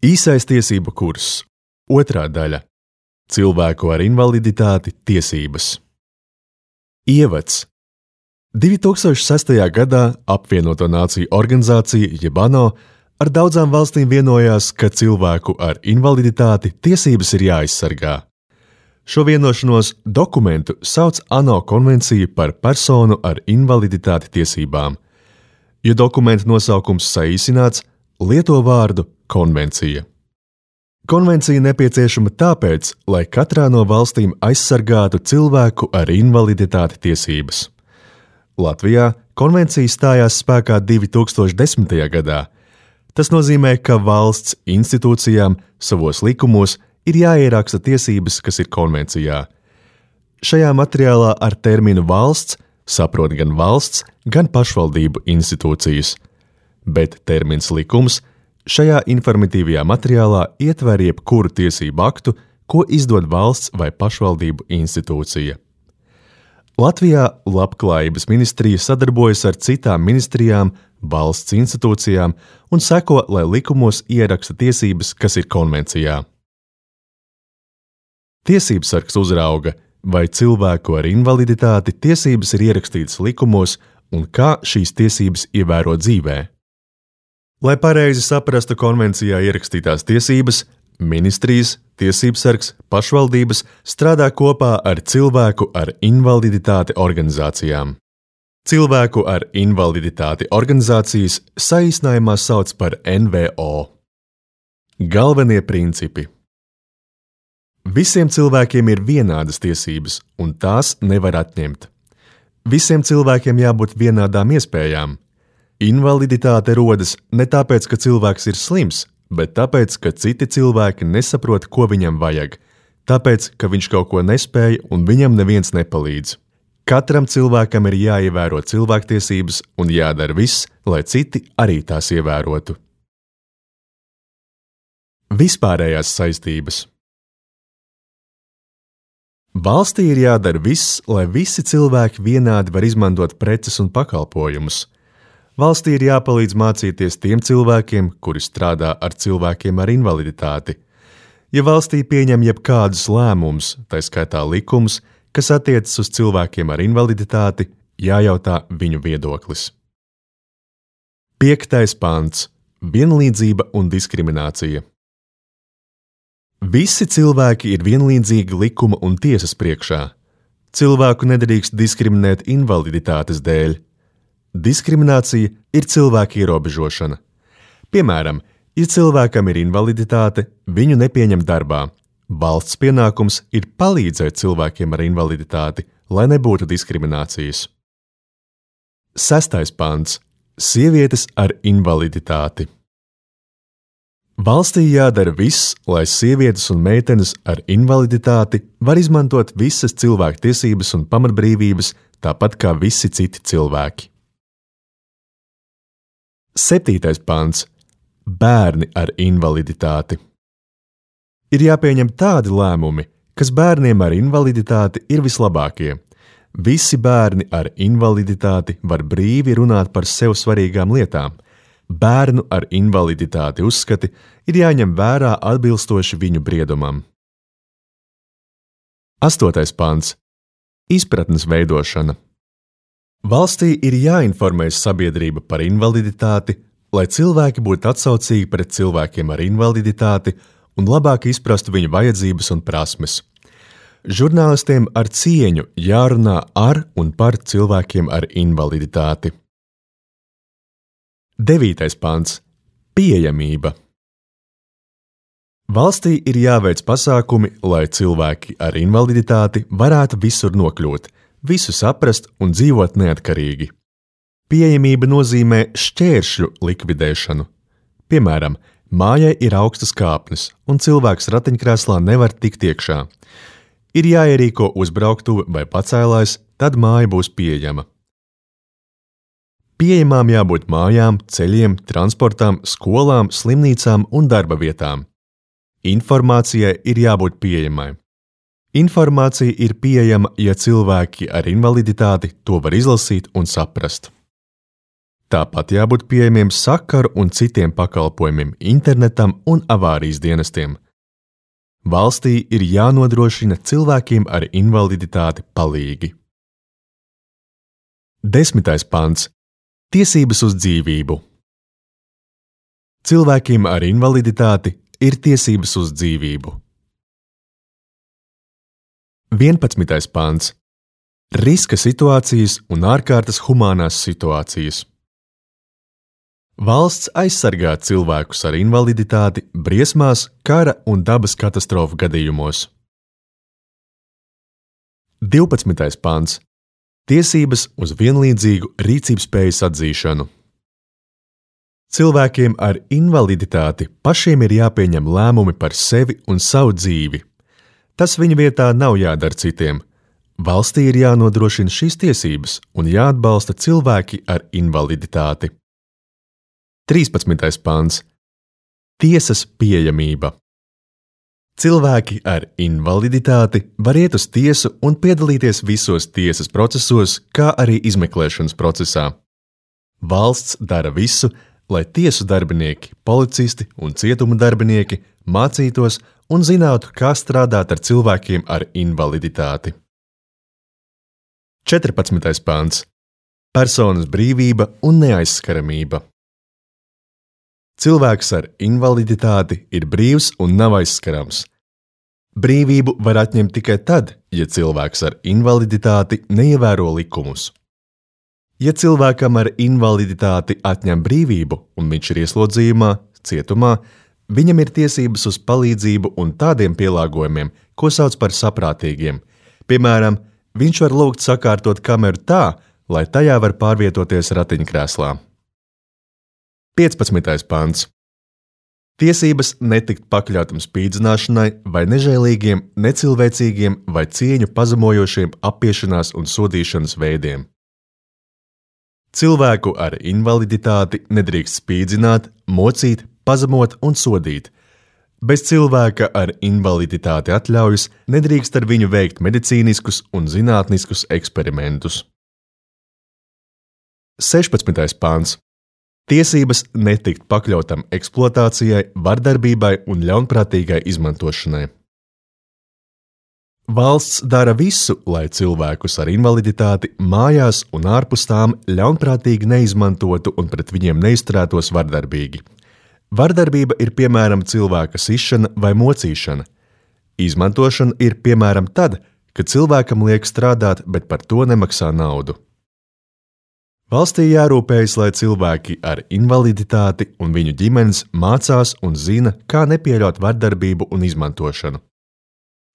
Īsais tiesību kurs. 2. daļa. Cilvēku ar invaliditāti tiesības. Ievads. 2006. gadā Apvienoto Nāciju organizācija jeb ANO ar daudzām valstīm vienojās, ka cilvēku ar invaliditāti tiesības ir jāaizsargā. Šo vienošanos dokumentu sauc ANO konvenciju par personu ar invaliditāti tiesībām, jo dokumenta nosaukums saīsināts lieto vārdu konvencija. Konvencija nepieciešama tāpēc, lai katrā no valstīm aizsargātu cilvēku ar invaliditāti tiesības. Latvijā konvencija stājās spēkā 2010. gadā. Tas nozīmē, ka valsts institūcijām savos likumos ir jāieraksta tiesības, kas ir konvencijā. Šajā materiālā ar terminu valsts saprot gan valsts, gan pašvaldību institūcijas, bet termins likums šajā informatīvajā materiālā ietver jebkuru tiesību aktu, ko izdod valsts vai pašvaldību institūcija. Latvijā Labklājības ministrija sadarbojas ar citām ministrijām, valsts institūcijām un seko, lai likumos ieraksta tiesības, kas ir konvencijā. Tiesībsargs uzrauga, vai cilvēku ar invaliditāti tiesības ir ierakstītas likumos un kā šīs tiesības ievēro dzīvē. Lai pareizi saprastu konvencijā ierakstītās tiesības, ministrijas, tiesībsargs, pašvaldības strādā kopā ar cilvēku ar invaliditāti organizācijām. Cilvēku ar invaliditāti organizācijas saīsinājumā sauc par NVO. Galvenie principi. Visiem cilvēkiem ir vienādas tiesības, un tās nevar atņemt. Visiem cilvēkiem jābūt vienādām iespējām. Invaliditāte rodas ne tāpēc, ka cilvēks ir slims, bet tāpēc, ka citi cilvēki nesaprot, ko viņam vajag, tāpēc, ka viņš kaut ko nespēj un viņam neviens nepalīdz. Katram cilvēkam ir jāievēro cilvēktiesības un jādara viss, lai citi arī tās ievērotu. Vispārējās saistības. Valstī ir jādara viss, lai visi cilvēki vienādi var izmantot preces un pakalpojumus. Valstī ir jāpalīdz mācīties tiem cilvēkiem, kuri strādā ar cilvēkiem ar invaliditāti. Ja valstī pieņem jebkādus lēmumus, tā skaitā likumus, kas attiecas uz cilvēkiem ar invaliditāti, jājautā viņu viedoklis. 5. pants. Vienlīdzība un diskriminācija. Visi cilvēki ir vienlīdzīgi likuma un tiesas priekšā. Cilvēku nedrīkst diskriminēt invaliditātes dēļ. Diskriminācija ir cilvēka ierobežošana. Piemēram, ja cilvēkam ir invaliditāte, viņu nepieņem darbā. Valsts pienākums ir palīdzēt cilvēkiem ar invaliditāti, lai nebūtu diskriminācijas. 6. pants. Sievietes ar invaliditāti. Valstī jādara viss, lai sievietes un meitenes ar invaliditāti var izmantot visas cilvēku tiesības un pamatbrīvības, tāpat kā visi citi cilvēki. 7. pants. Bērni ar invaliditāti. Ir jāpieņem tādi lēmumi, kas bērniem ar invaliditāti ir vislabākie. Visi bērni ar invaliditāti var brīvi runāt par sev svarīgām lietām. Bērnu ar invaliditāti uzskati ir jāņem vērā atbilstoši viņu briedumam. 8. pants. Izpratnes veidošana. Valstī ir jāinformē sabiedrība par invaliditāti, lai cilvēki būtu atsaucīgi pret cilvēkiem ar invaliditāti un labāk izprastu viņu vajadzības un prasmes. Žurnālistiem ar cieņu jārunā ar un par cilvēkiem ar invaliditāti. 9. pants. Pieejamība. Valstī ir jāveic pasākumi, lai cilvēki ar invaliditāti varētu visur nokļūt, visu saprast un dzīvot neatkarīgi. Pieejamība nozīmē šķēršļu likvidēšanu. Piemēram, mājai ir augstas kāpnes, un cilvēks ratiņkrēslā nevar tikt iekšā. Ir jāierīko uzbrauktuve vai pacēlājs, tad māja būs pieejama. Pieejamām jābūt mājām, ceļiem, transportām, skolām, slimnīcām un darba vietām. Informācijai ir jābūt pieejamai. Informācija ir pieejama, ja cilvēki ar invaliditāti to var izlasīt un saprast. Tāpat jābūt pieejamiem sakaru un citiem pakalpojumiem, internetam un avārijas dienestiem. Valstī ir jānodrošina cilvēkiem ar invaliditāti palīgi. 10. pants. Tiesības uz dzīvību. Cilvēkiem ar invaliditāti ir tiesības uz dzīvību. 11. pants. Riska situācijas un ārkārtas humānās situācijas. Valsts aizsargā cilvēkus ar invaliditāti briesmās, kara un dabas katastrofu gadījumos. 12. pants. Tiesības uz vienlīdzīgu rīcībspējas atzīšanu. Cilvēkiem ar invaliditāti pašiem ir jāpieņem lēmumi par sevi un savu dzīvi. Tas viņu vietā nav jādara citiem. Valstī ir jānodrošina šīs tiesības un jāatbalsta cilvēki ar invaliditāti. 13. pants. Tiesas pieejamība. Cilvēki ar invaliditāti var iet uz tiesu un piedalīties visos tiesas procesos, kā arī izmeklēšanas procesā. Valsts dara visu, lai tiesu darbinieki, policisti un cietuma darbinieki mācītos un zinātu, kā strādāt ar cilvēkiem ar invaliditāti. 14. pants. Personas brīvība un neaizskaramība. Cilvēks ar invaliditāti ir brīvs un nav aizskarams. Brīvību var atņemt tikai tad, ja cilvēks ar invaliditāti neievēro likumus. Ja cilvēkam ar invaliditāti atņem brīvību un viņš ir ieslodzījumā, cietumā, viņam ir tiesības uz palīdzību un tādiem pielāgojumiem, ko sauc par saprātīgiem. Piemēram, viņš var lūgt sakārtot kameru tā, lai tajā var pārvietoties ratiņkrēslā. 15. pants. Tiesības netikt pakļautam spīdzināšanai vai nežēlīgiem, necilvēcīgiem vai cieņu pazemojošiem apiešanās un sodīšanas veidiem. Cilvēku ar invaliditāti nedrīkst spīdzināt, mocīt, pazemot un sodīt. Bez cilvēka ar invaliditāti atļaujas nedrīkst ar viņu veikt medicīniskus un zinātniskus eksperimentus. 16. pants. Tiesības netikt pakļautam eksploatācijai, vardarbībai un ļaunprātīgai izmantošanai. Valsts dara visu, lai cilvēkus ar invaliditāti mājās un ārpus tām ļaunprātīgi neizmantotu un pret viņiem neizturētos vardarbīgi. Vardarbība ir piemēram cilvēka sišana vai mocīšana. Izmantošana ir piemēram tad, kad cilvēkam liek strādāt, bet par to nemaksā naudu. Valstī jārūpējas, lai cilvēki ar invaliditāti un viņu ģimenes mācās un zina, kā nepieļaut vardarbību un izmantošanu.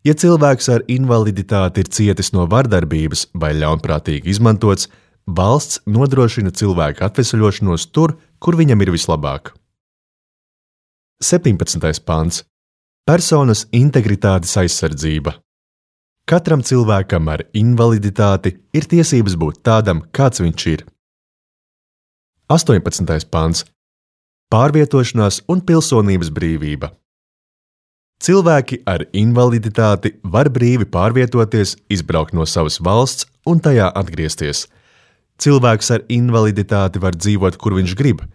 Ja cilvēks ar invaliditāti ir cietis no vardarbības vai ļaunprātīgi izmantots, valsts nodrošina cilvēka atveseļošanos tur, kur viņam ir vislabāk. 17. pants. Personas integritātes aizsardzība. Katram cilvēkam ar invaliditāti ir tiesības būt tādam, kāds viņš ir. 18. pants. Pārvietošanās un pilsonības brīvība. Cilvēki ar invaliditāti var brīvi pārvietoties, izbraukt no savas valsts un tajā atgriezties. Cilvēks ar invaliditāti var dzīvot, kur viņš grib.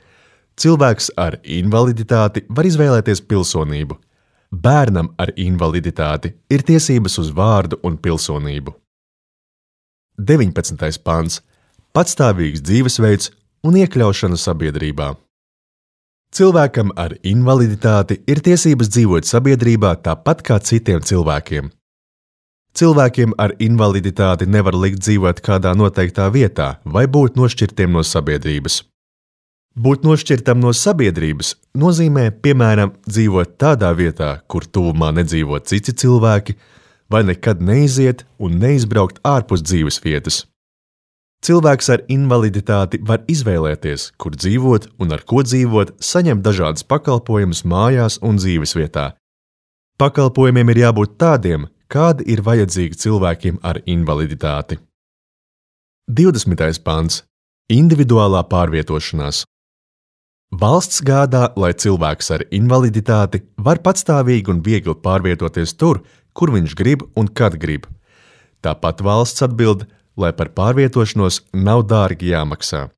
Cilvēks ar invaliditāti var izvēlēties pilsonību. Bērnam ar invaliditāti ir tiesības uz vārdu un pilsonību. 19. pants. Patstāvīgs dzīvesveids un iekļaušana sabiedrībā. Cilvēkam ar invaliditāti ir tiesības dzīvot sabiedrībā tāpat kā citiem cilvēkiem. Cilvēkiem ar invaliditāti nevar likt dzīvot kādā noteiktā vietā vai būt nošķirtiem no sabiedrības. Būt nošķirtam no sabiedrības nozīmē, piemēram, dzīvot tādā vietā, kur tuvumā nedzīvo citi cilvēki, vai nekad neiziet un neizbraukt ārpus dzīves vietas. Cilvēks ar invaliditāti var izvēlēties, kur dzīvot un ar ko dzīvot, saņemt dažādas pakalpojumus mājās un dzīvesvietā. Pakalpojumiem ir jābūt tādiem, kādi ir vajadzīgi cilvēkiem ar invaliditāti. 20. pants. Individuālā pārvietošanās. Valsts gādā, lai cilvēks ar invaliditāti var patstāvīgi un viegli pārvietoties tur, kur viņš grib un kad grib. Tāpat valsts atbild, lai par pārvietošanos nav dārgi jāmaksā.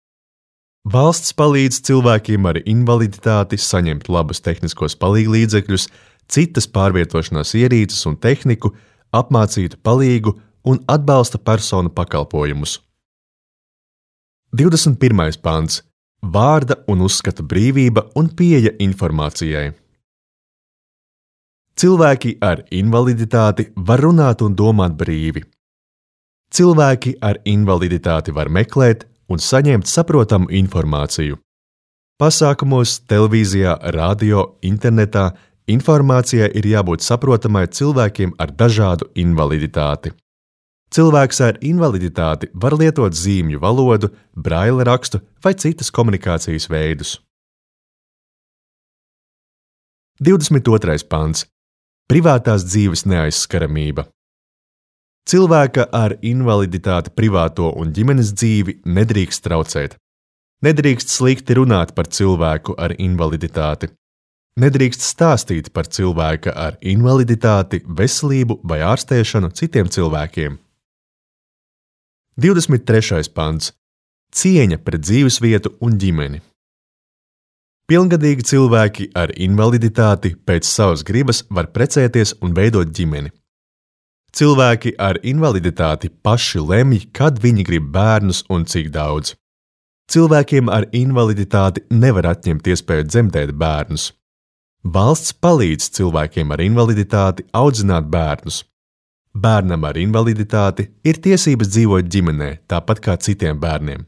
Valsts palīdz cilvēkiem ar invaliditāti saņemt labus tehniskos palīglīdzekļus, citas pārvietošanās ierīces un tehniku, apmācītu palīgu un atbalsta personu pakalpojumus. 21. pants. Vārda un uzskata brīvība un pieeja informācijai. Cilvēki ar invaliditāti var runāt un domāt brīvi. Cilvēki ar invaliditāti var meklēt un saņemt saprotamu informāciju. Pasākumos, televīzijā, radio, internetā informācijai ir jābūt saprotamai cilvēkiem ar dažādu invaliditāti. Cilvēks ar invaliditāti var lietot zīmju valodu, braila rakstu vai citas komunikācijas veidus. 22. pants. Privātās dzīves neaizskaramība. Cilvēka ar invaliditāti privāto un ģimenes dzīvi nedrīkst traucēt. Nedrīkst slikti runāt par cilvēku ar invaliditāti. Nedrīkst stāstīt par cilvēka ar invaliditāti, veselību vai ārstēšanu citiem cilvēkiem. 23. pants. Cieņa pret dzīvesvietu un ģimeni. Pilngadīgi cilvēki ar invaliditāti pēc savas gribas var precēties un veidot ģimeni. Cilvēki ar invaliditāti paši lemj, kad viņi grib bērnus un cik daudz. Cilvēkiem ar invaliditāti nevar atņemt iespēju dzemdēt bērnus. Valsts palīdz cilvēkiem ar invaliditāti audzināt bērnus. Bērnam ar invaliditāti ir tiesības dzīvot ģimenē, tāpat kā citiem bērniem.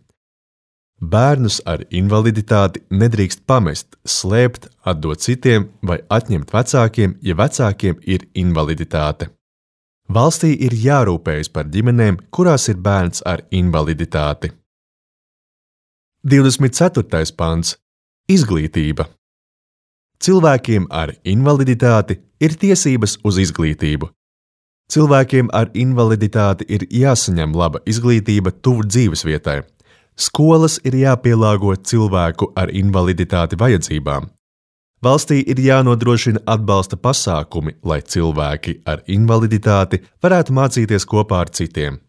Bērnus ar invaliditāti nedrīkst pamest, slēpt, atdot citiem vai atņemt vecākiem, ja vecākiem ir invaliditāte. Valstī ir jārūpējas par ģimenēm, kurās ir bērns ar invaliditāti. 24. pants. Izglītība. Cilvēkiem ar invaliditāti ir tiesības uz izglītību. Cilvēkiem ar invaliditāti ir jāsaņem laba izglītība tuvu dzīvesvietai. Skolas ir jāpielāgo cilvēku ar invaliditāti vajadzībām. Valstī ir jānodrošina atbalsta pasākumi, lai cilvēki ar invaliditāti varētu mācīties kopā ar citiem.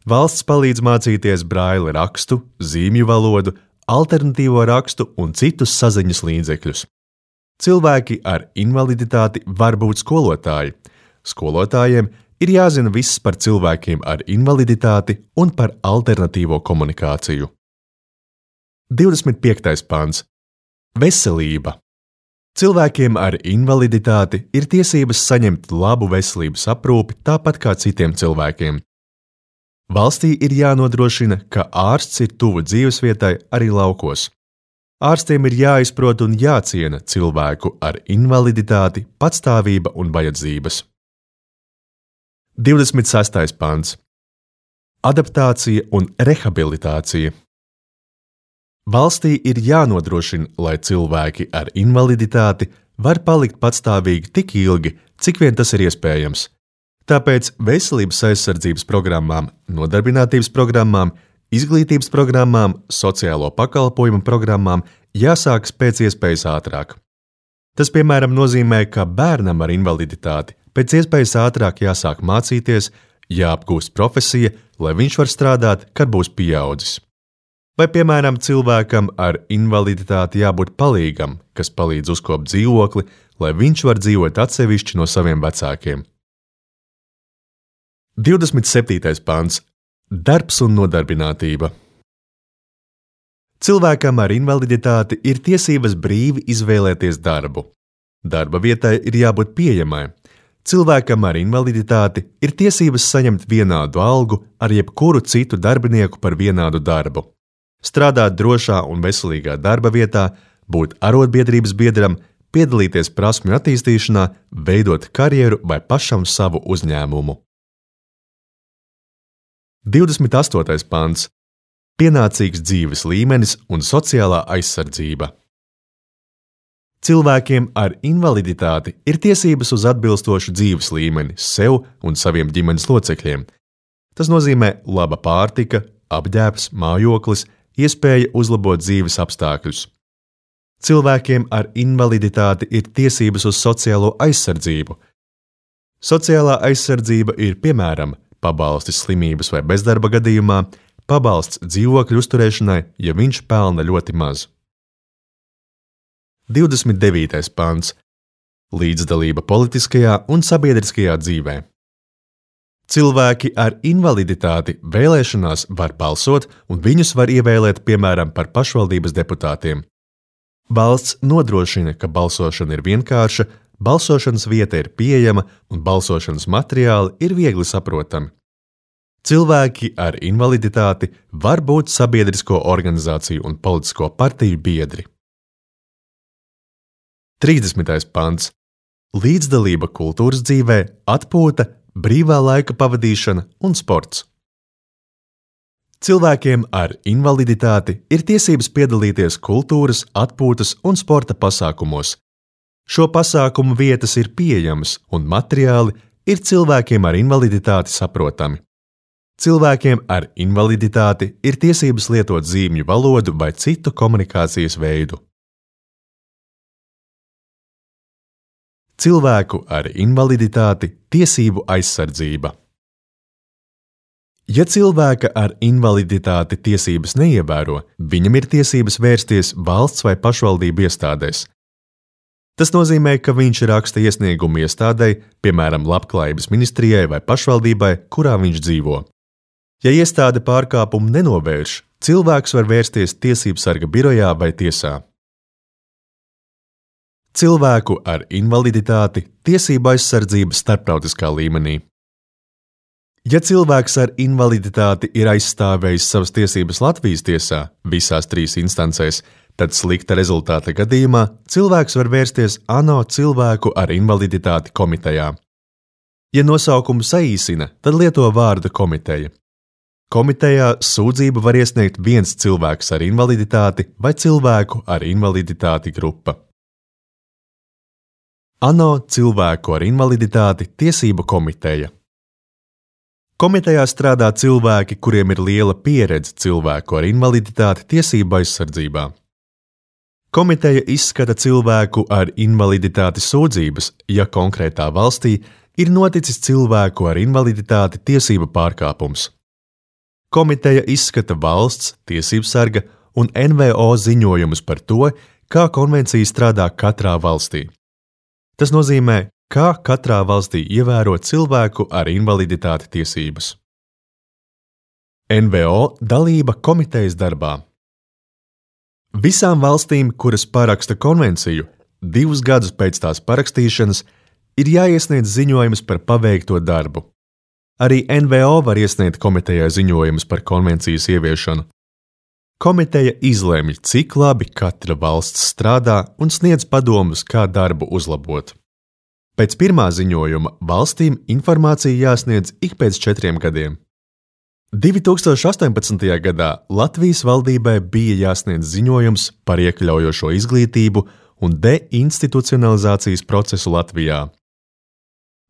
Valsts palīdz mācīties braila rakstu, zīmju valodu, alternatīvo rakstu un citus saziņas līdzekļus. Cilvēki ar invaliditāti var būt skolotāji. Skolotājiem ir jāzina viss par cilvēkiem ar invaliditāti un par alternatīvo komunikāciju. 25. pants. Veselība. Cilvēkiem ar invaliditāti ir tiesības saņemt labu veselības aprūpi tāpat kā citiem cilvēkiem. Valstī ir jānodrošina, ka ārsts ir tuvu dzīvesvietai arī laukos. Ārstiem ir jāizprot un jāciena cilvēku ar invaliditāti, patstāvība un vajadzības. 26. pants. Adaptācija un rehabilitācija. Valstī ir jānodrošina, lai cilvēki ar invaliditāti var palikt patstāvīgi tik ilgi, cik vien tas ir iespējams. Tāpēc veselības aizsardzības programmām, nodarbinātības programmām, izglītības programmām, sociālo pakalpojumu programmām jāsākas pēc iespējas ātrāk. Tas, piemēram, nozīmē, ka bērnam ar invaliditāti pēc iespējas ātrāk jāsāk mācīties, jāapgūst profesija, lai viņš var strādāt, kad būs pieaudzis. Vai, piemēram, cilvēkam ar invaliditāti jābūt palīgam, kas palīdz uzkopt dzīvokli, lai viņš var dzīvot atsevišķi no saviem vecākiem. 27. pants. Darbs un nodarbinātība. Cilvēkam ar invaliditāti ir tiesības brīvi izvēlēties darbu. Darba vietai ir jābūt pieejamai. Cilvēkam ar invaliditāti ir tiesības saņemt vienādu algu ar jebkuru citu darbinieku par vienādu darbu. Strādāt drošā un veselīgā darba vietā, būt arotbiedrības biedram, piedalīties prasmju attīstīšanā, veidot karjeru vai pašam savu uzņēmumu. 28. pants. Pienācīgs dzīves līmenis un sociālā aizsardzība. Cilvēkiem ar invaliditāti ir tiesības uz atbilstošu dzīves līmeni sev un saviem ģimenes locekļiem. Tas nozīmē laba pārtika, apģērbs, mājoklis, iespēja uzlabot dzīves apstākļus. Cilvēkiem ar invaliditāti ir tiesības uz sociālo aizsardzību. Sociālā aizsardzība ir, piemēram, pabalsti slimības vai bezdarba gadījumā, pabalsts dzīvokļu uzturēšanai, ja viņš pelna ļoti maz. 29. pants. Līdzdalība politiskajā un sabiedriskajā dzīvē. Cilvēki ar invaliditāti vēlēšanās var balsot, un viņus var ievēlēt, piemēram, par pašvaldības deputātiem. Valsts nodrošina, ka balsošana ir vienkārša, balsošanas vieta ir pieejama un balsošanas materiāli ir viegli saprotami. Cilvēki ar invaliditāti var būt sabiedrisko organizāciju un politisko partiju biedri. 30. pants. Līdzdalība kultūras dzīvē, atpūta, brīvā laika pavadīšana un sports. Cilvēkiem ar invaliditāti ir tiesības piedalīties kultūras, atpūtas un sporta pasākumos. Šo pasākumu vietas ir pieejamas un materiāli ir cilvēkiem ar invaliditāti saprotami. Cilvēkiem ar invaliditāti ir tiesības lietot zīmju valodu vai citu komunikācijas veidu. Cilvēku ar invaliditāti tiesību aizsardzība. Ja cilvēka ar invaliditāti tiesības neievēro, viņam ir tiesības vērsties valsts vai pašvaldību iestādēs. Tas nozīmē, ka viņš raksta iesniegumu iestādei, piemēram, Labklājības ministrijai vai pašvaldībai, kurā viņš dzīvo. Ja iestāde pārkāpumu nenovērš, cilvēks var vērsties tiesību sarga birojā vai tiesā. Cilvēku ar invaliditāti tiesību aizsardzība starptautiskā līmenī. Ja cilvēks ar invaliditāti ir aizstāvējis savas tiesības Latvijas tiesā visās 3 instancēs, tad slikta rezultāta gadījumā cilvēks var vērsties ANO cilvēku ar invaliditāti komitejā. Ja nosaukumu saīsina, tad lieto vārdu komiteja. Komitejā sūdzību var iesniegt viens cilvēks ar invaliditāti vai cilvēku ar invaliditāti grupa. ANO cilvēku ar invaliditāti tiesību komiteja. Komitejā strādā cilvēki, kuriem ir liela pieredze cilvēku ar invaliditāti tiesību aizsardzībā. Komiteja izskata cilvēku ar invaliditāti sūdzības, ja konkrētā valstī ir noticis cilvēku ar invaliditāti tiesību pārkāpums. Komiteja izskata valsts, tiesību sarga un NVO ziņojumus par to, kā konvencija strādā katrā valstī. Tas nozīmē, kā katrā valstī ievēro cilvēku ar invaliditāti tiesības. NVO dalība komitejas darbā. Visām valstīm, kuras paraksta konvenciju, 2 gadus pēc tās parakstīšanas ir jāiesniedz ziņojums par paveikto darbu. Arī NVO var iesniegt komitejai ziņojumus par konvencijas ieviešanu. Komiteja izlemj, cik labi katra valsts strādā un sniedz padomus, kā darbu uzlabot. Pēc pirmā ziņojuma valstīm informācija jāsniedz ik pēc 4 gadiem. 2018. gadā Latvijas valdībai bija jāsniedz ziņojums par iekļaujošo izglītību un deinstitucionalizācijas procesu Latvijā.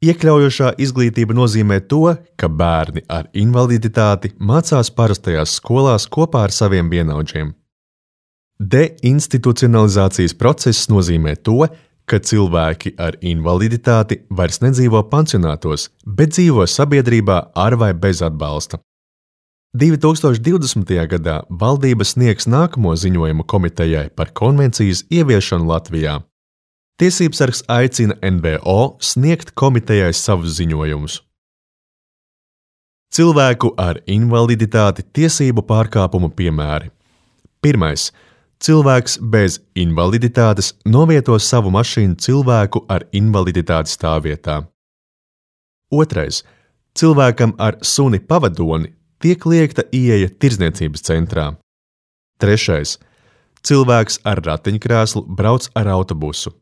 Iekļaujošā izglītība nozīmē to, ka bērni ar invaliditāti mācās parastajās skolās kopā ar saviem vienaudžiem. Deinstitucionalizācijas process nozīmē to, ka cilvēki ar invaliditāti vairs nedzīvo pansionātos, bet dzīvo sabiedrībā ar vai bez atbalsta. 2020. gadā valdība sniegs nākamo ziņojumu komitejai par konvencijas ieviešanu Latvijā. Tiesībsargs aicina NVO sniegt komitejai savus ziņojumus. Cilvēku ar invaliditāti tiesību pārkāpumu piemēri. 1. Cilvēks bez invaliditātes novieto savu mašīnu cilvēku ar invaliditāti stāvvietā. 2. Cilvēkam ar suni pavadoni tiek liegta ieeja tirdzniecības centrā. 3. Cilvēks ar ratiņkrēslu brauc ar autobusu.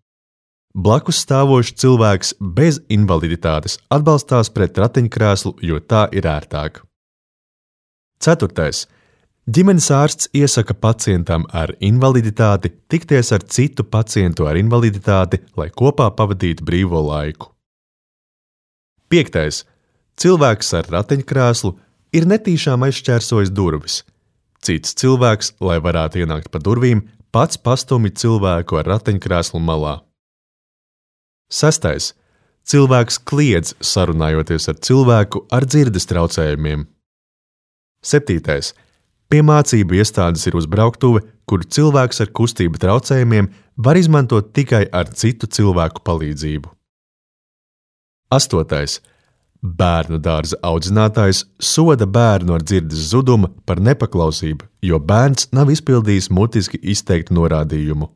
Blakus stāvošs cilvēks bez invaliditātes atbalstās pret ratiņkrēslu, jo tā ir ērtāk. 4. Ģimenes ārsts iesaka pacientam ar invaliditāti tikties ar citu pacientu ar invaliditāti, lai kopā pavadītu brīvo laiku. 5. Cilvēks ar ratiņkrēslu ir netīšām aizšķērsojis durvis. Cits cilvēks, lai varētu ienākt pa durvīm, pats pastumj cilvēku ar ratiņkrēslu malā. 6. Cilvēks kliedz sarunājoties ar cilvēku ar dzirdes traucējumiem. 7. Piemācību iestādes ir uzbrauktuve, kuru cilvēks ar kustību traucējumiem var izmantot tikai ar citu cilvēku palīdzību. 8. Bērnu dārza audzinātājs soda bērnu ar dzirdes zudumu par nepaklausību, jo bērns nav izpildījis mutiski izteiktu norādījumu.